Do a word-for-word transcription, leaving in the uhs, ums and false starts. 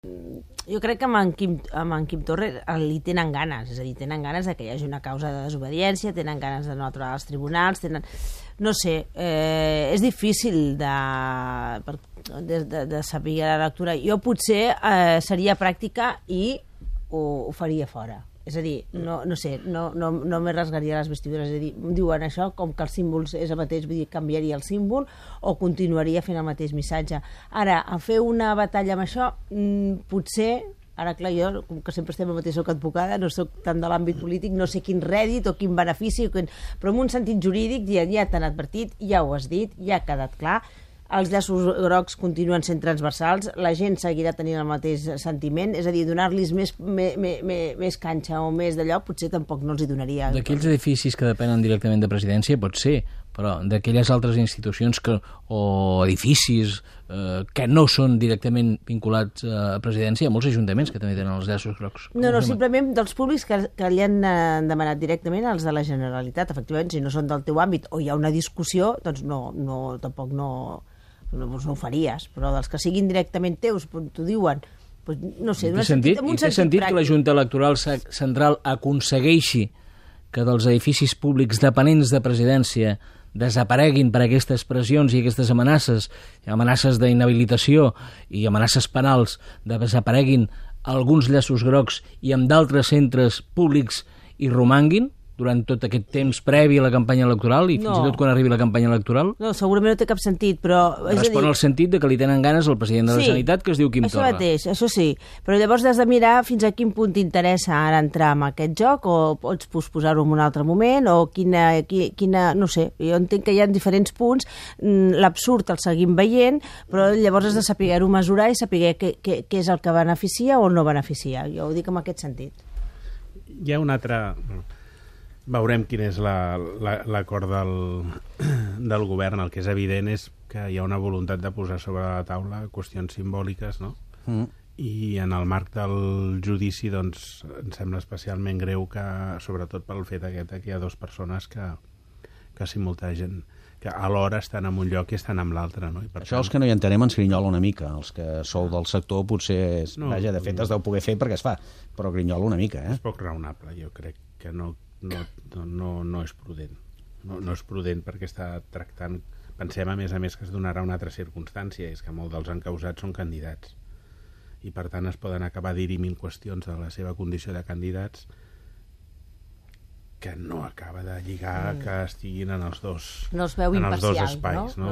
Jo crec que amb en Quim, amb en Quim Torra li tenen ganes, és a dir, tenen ganes de que hi hagi una causa de desobediència, tenen ganes de no aturar els tribunals, tenen... No sé, eh, és difícil de, de, de, de saber la lectura. Jo potser eh, seria pràctica i ho, ho faria fora. És a dir, no, no sé, no, no, no me rasgaria les vestidures. És a dir, em diuen això, com que el símbol és el mateix, vull dir, canviaria el símbol o continuaria fent el mateix missatge. Ara, a fer una batalla amb això, mmm, potser... Ara, clar, jo, com que sempre estem al mateix, soc advocada, no soc tant de l'àmbit polític, no sé quin rèdit o quin benefici, o quin... però en un sentit jurídic ja, ja t'han advertit, ja ho has dit, ja ha quedat clar, els llaços grocs continuen sent transversals, la gent seguirà tenint el mateix sentiment, és a dir, donar-los més, més, més, més canxa o més d'allò, potser tampoc no els hi donaria. D'aquells edificis que depenen directament de presidència pot ser, però d'aquelles altres institucions que, o edificis eh, que no són directament vinculats a presidència, hi ha molts ajuntaments que també tenen els llaços grocs. No, no, simplement dels públics que, que li han eh, demanat directament als de la Generalitat. Efectivament, si no són del teu àmbit o hi ha una discussió, doncs no, no tampoc no, no, no ho faries, però dels que siguin directament teus, t'ho diuen, doncs, no sé, té sentit, sentit, té sentit que la Junta Electoral Central aconsegueixi que dels edificis públics dependents de presidència desapareguin per aquestes pressions i aquestes amenaces, amenaces d'inhabilitació i amenaces penals, desapareguin alguns llaços grocs i amb d'altres centres públics hi romanguin durant tot aquest temps previ a la campanya electoral i fins no. i tot quan arribi la campanya electoral? No, segurament no té cap sentit, però... Respon al sentit de que li tenen ganes al president de la sí, Generalitat, que es diu Quim això Torra. Això mateix, això sí. Però llavors has de mirar fins a quin punt t'interessa ara entrar en aquest joc, o pots posposar-ho en un altre moment, o quina, quina... No sé, jo entenc que hi ha diferents punts, l'absurd el seguim veient, però llavors has de saber-ho mesurar i saber què, què, què és el que beneficia o no beneficia. Jo ho dic en aquest sentit. Hi ha un altre... Veurem quin és l'acord la, del, del govern. El que és evident és que hi ha una voluntat de posar sobre la taula qüestions simbòliques, no? Mm. I en el marc del judici, doncs, em sembla especialment greu que, sobretot pel fet aquest, que hi ha dues persones que, que simultegen, que alhora estan en un lloc i estan en l'altre, no? I per Això tant... els que no hi entenem ens grinyola una mica. Els que sou del sector potser... És... No, Vaja, de fet es deu poder fer perquè es fa, però grinyola una mica, eh? És poc raonable, jo crec que no... No, no, no és prudent. No, no és prudent perquè està tractant... Pensem, a més a més, que es donarà una altra circumstància, és que molts dels encausats són candidats. I, per tant, es poden acabar dirimint qüestions de la seva condició de candidats que no acaba de lligar mm. que estiguin en els dos, no els veu en els dos imparcial, espais. No? No?